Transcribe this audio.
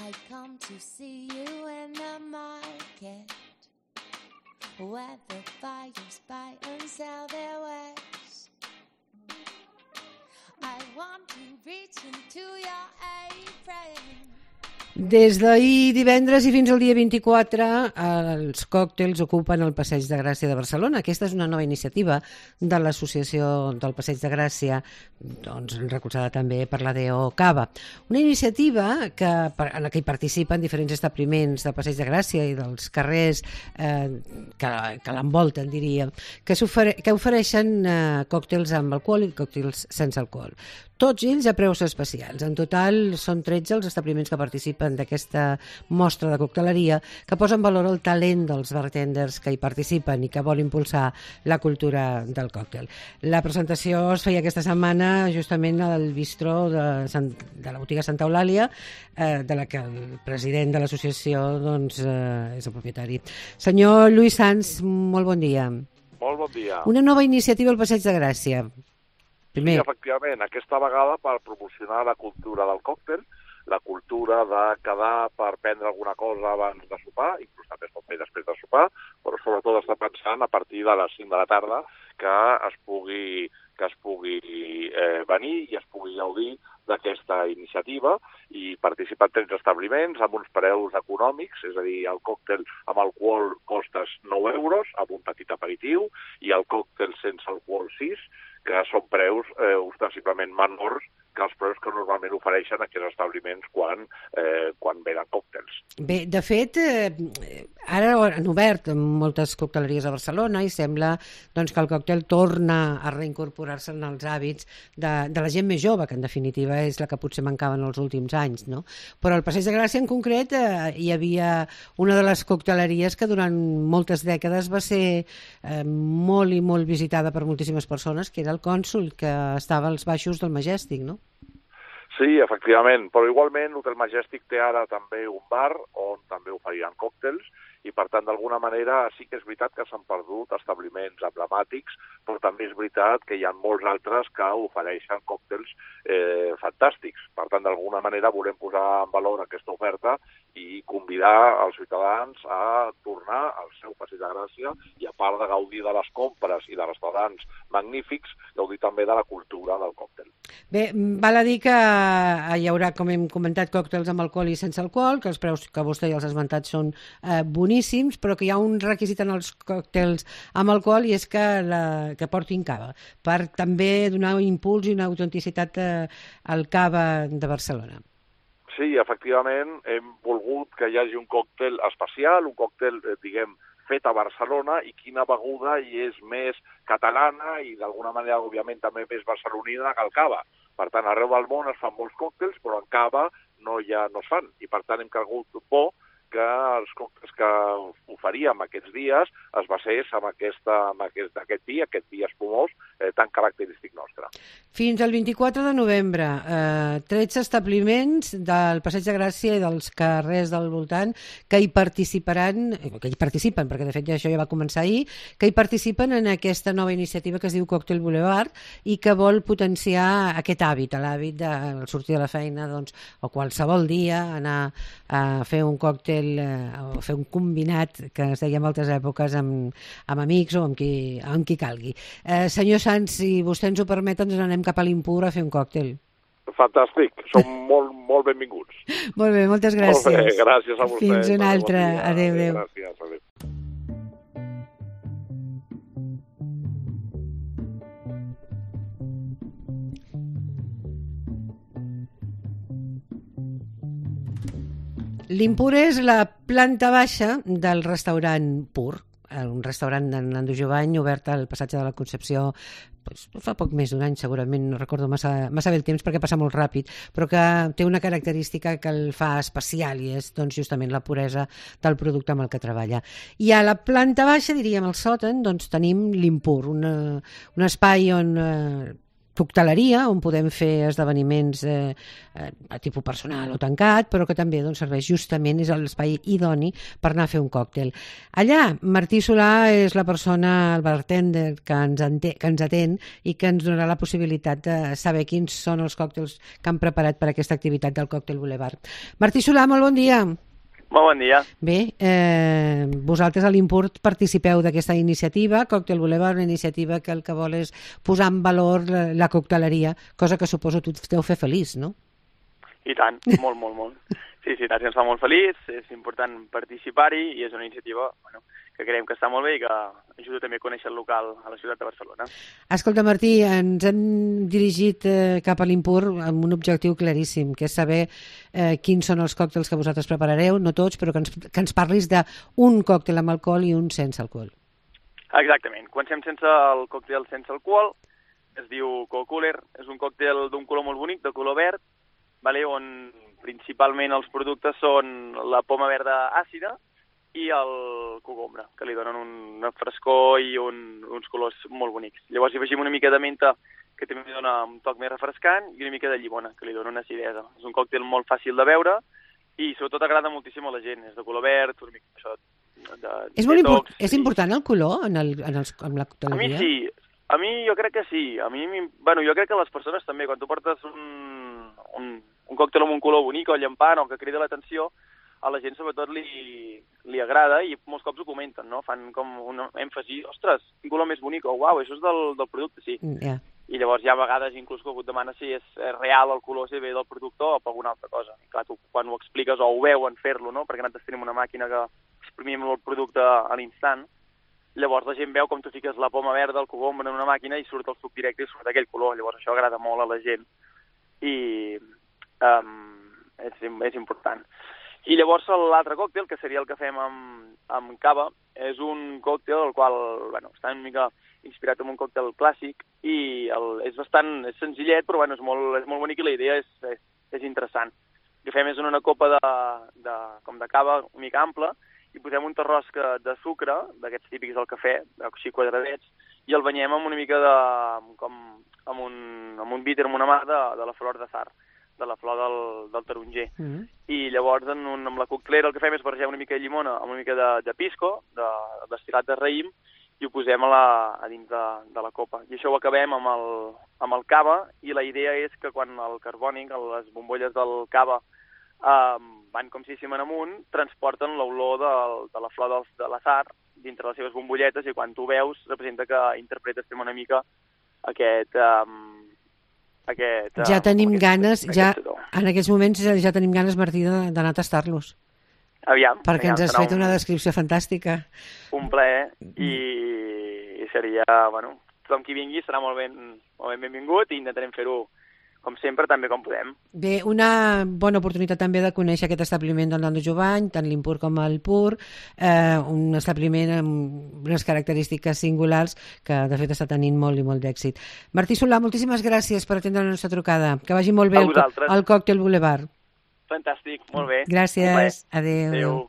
I come to see you in the market, where the buyers buy and sell their wares. I want to reach into your apron. Des d'ahir divendres i fins al dia 24 els còctels ocupen el Passeig de Gràcia de Barcelona. Aquesta és una nova iniciativa de l'Associació del Passeig de Gràcia, doncs, recolzada també per la DO Cava. Una iniciativa en la que hi participen diferents establiments del Passeig de Gràcia i dels carrers que l'envolten, diria, que ofereixen còctels amb alcohol i còctels sense alcohol. Tots ells a preus especials. En total són 13 els establiments que participen d'aquesta mostra de cocteleria que posa en valor el talent dels bartenders que hi participen i que vol impulsar la cultura del còctel. La presentació es feia aquesta setmana justament al bistró de la botiga Santa Eulàlia, de la que el president de l'associació doncs, és el propietari. Senyor Lluís Sans, molt bon dia. Molt bon dia. Una nova iniciativa al Passeig de Gràcia. Sí, efectivament, aquesta vegada per promocionar la cultura del còctel, la cultura de quedar per prendre alguna cosa abans de sopar, inclús també es pot fer després de sopar, però sobretot està pensant a partir de les 5 de la tarda que es pugui venir i es pugui gaudir d'aquesta iniciativa i participar en 13 establiments amb uns preus econòmics, és a dir, el còctel amb alcohol costa 9 euros amb un petit aperitiu i el còctel sense alcohol 6, que són preus ostensiblement menors que els preus que normalment ofereixen aquests establiments quan venen còctels. Bé, de fet, ara han obert moltes cocteleries a Barcelona i sembla doncs, que el còctel torna a reincorporar-se en els hàbits de la gent més jove, que en definitiva és la que potser mancava en els últims anys, no? Però al Passeig de Gràcia en concret hi havia una de les cocteleries que durant moltes dècades va ser molt i molt visitada per moltíssimes persones, que era el Cònsul, que estava als baixos del Majestic, no? Sí, efectivament, però igualment l'Hotel Majestic té ara també un bar on també oferien còctels i, per tant, d'alguna manera sí que és veritat que s'han perdut establiments emblemàtics, però també és veritat que hi ha molts altres que ofereixen còctels fantàstics. Per tant, d'alguna manera volem posar en valor aquesta oferta i convidar els ciutadans a tornar al seu Passeig de Gràcia i, a part de gaudir de les compres i de restaurants magnífics, gaudir també de la cultura del còctel. Bé, val a dir que hi haurà, com hem comentat, còctels amb alcohol i sense alcohol, que els preus que vostè ja els ha esmentat són boníssims, però que hi ha un requisit en els còctels amb alcohol i és que portin cava, per també donar un impuls i una autenticitat al cava de Barcelona. Sí, efectivament, hem volgut que hi hagi un còctel especial, un còctel, diguem, fet a Barcelona i quina beguda hi és més catalana i d'alguna manera, òbviament, també més barcelonina que el cava. Per tant, arreu del món es fan molts còctels, però en cava no es fan. I, per tant, hem cregut bo que els còctels que oferíem aquests dies es basés en aquest vi espumós tan característic nostre. Fins al 24 de novembre, 13 establiments del Passeig de Gràcia i dels carrers del voltant que hi participen, perquè de fet això ja va començar ahir, que hi participen en aquesta nova iniciativa que es diu Còctel Boulevard i que vol potenciar aquest hàbit, l'hàbit de sortir de la feina o qualsevol dia anar a fer un còctel o fer un combinat que es deia en altres èpoques amb amics o amb qui calgui. Senyor Sans, si vostè ens ho permet, ens anem cap a l'Impur a fer un còctel. Fantàstic, som molt benvinguts. Molt bé, moltes gràcies. Molt bé, gràcies a vostè. Fins una altra. Adéu. Gràcies, adéu. L'Impur és la planta baixa del restaurant Pur, un restaurant de Nando Jovany obert al passatge de la Concepció fa poc més d'un any, segurament, no recordo massa bé el temps perquè passa molt ràpid, però que té una característica que el fa especial i és justament la puresa del producte amb el que treballa. I a la planta baixa, diríem al sòtan, tenim l'Impur, un espai on cocteleria, on podem fer esdeveniments a tipus personal o tancat, però que també doncs, serveix justament, és l'espai idoni per anar a fer un còctel. Allà, Martí Solà és la persona, el bartender, que ens atén i que ens donarà la possibilitat de saber quins són els còctels que han preparat per aquesta activitat del Còctel Boulevard. Martí Solà, molt bon dia. Molt bon dia. Bé, vosaltres a l'Impurt participeu d'aquesta iniciativa, Còctel Boulevard, una iniciativa que el que vol és posar en valor la cocteleria, cosa que suposo tu deu fer feliç, no? I tant, molt, molt, molt. Sí, ens fa molt feliç, és important participar-hi i és una iniciativa que creiem que està molt bé i que ajuda també a conèixer el local a la ciutat de Barcelona. Escolta, Martí, ens hem dirigit cap a l'Impurt amb un objectiu claríssim, que és saber quins són els còctels que vosaltres preparareu, no tots, però que ens parlis d'un còctel amb alcohol i un sense alcohol. Exactament. Comencem sense el còctel sense alcohol, es diu Cold Cooler, és un còctel d'un color molt bonic, de color verd, on principalment els productes són la poma verda àcida i el cogombre, que li donen una frescor i uns colors molt bonics. Llavors hi afegim una mica de menta, que també dona un toc més refrescant, i una mica de llimona, que li dona una acidesa. És un còctel molt fàcil de beure i sobretot agrada moltíssim a la gent. És de color verd, una mica això és important el color en la cocteleria? A mi sí. A mi jo crec que sí. Jo crec que les persones també, quan tu portes un còctel amb un color bonic o llampant o que crida l'atenció, a la gent sobretot li agrada i molts cops ho comenten, no? Fan com un èmfasi, ostres, quin color més bonic, o uau, això és del producte, sí. Yeah. I llavors hi ha vegades inclús que algú et demana si és real el color, si ve del producte o per alguna altra cosa. I clar, tu quan ho expliques o ho veuen fer-lo, no? Perquè nosaltres tenim una màquina que exprimim el producte a l'instant, llavors la gent veu com tu fiques la poma verda, el cogombre en una màquina i surt el suc directe i surt aquell color. Llavors això agrada molt a la gent i és important. I llavors l'altre còctel, que seria el que fem amb cava, és un còctel el qual està una mica inspirat en un còctel clàssic i és senzillet, però és molt bonic i la idea és interessant. El que fem és en una copa de cava una mica ampla i posem un terròs de sucre, d'aquests típics del cafè, així quadradets, i el banyem amb una mica amb un bitter, amb una mà de la flor de zar, de la flor del taronger. I llavors amb la coctelera el que fem és barrejar una mica de llimona amb una mica de pisco, destil·lat de raïm, i ho posem a dins de la copa. I això ho acabem amb el cava, i la idea és que quan el carbònic, les bombolles del cava, van com si anem amunt, transporten l'olor de la flor de l'azar dintre les seves bombolletes, i quan tu veus representa que interpretes una mica aquest ja tenim ganes, en aquests moments ja tenim ganes, Martí, d'anar a tastar-los. Aviam. Perquè ens has fet una descripció fantàstica. Un plaer, i seria, tothom qui vingui serà molt benvingut i intentarem fer-ho com sempre, també com podem. Bé, una bona oportunitat també de conèixer aquest establiment del Nando Jovany, tant l'Impurt com el Pur, un establiment amb unes característiques singulars que de fet està tenint molt i molt d'èxit. Martí Solà, moltíssimes gràcies per atendre la nostra trucada. Que vagi molt bé el Còctel Boulevard. Fantàstic, molt bé. Gràcies, adéu.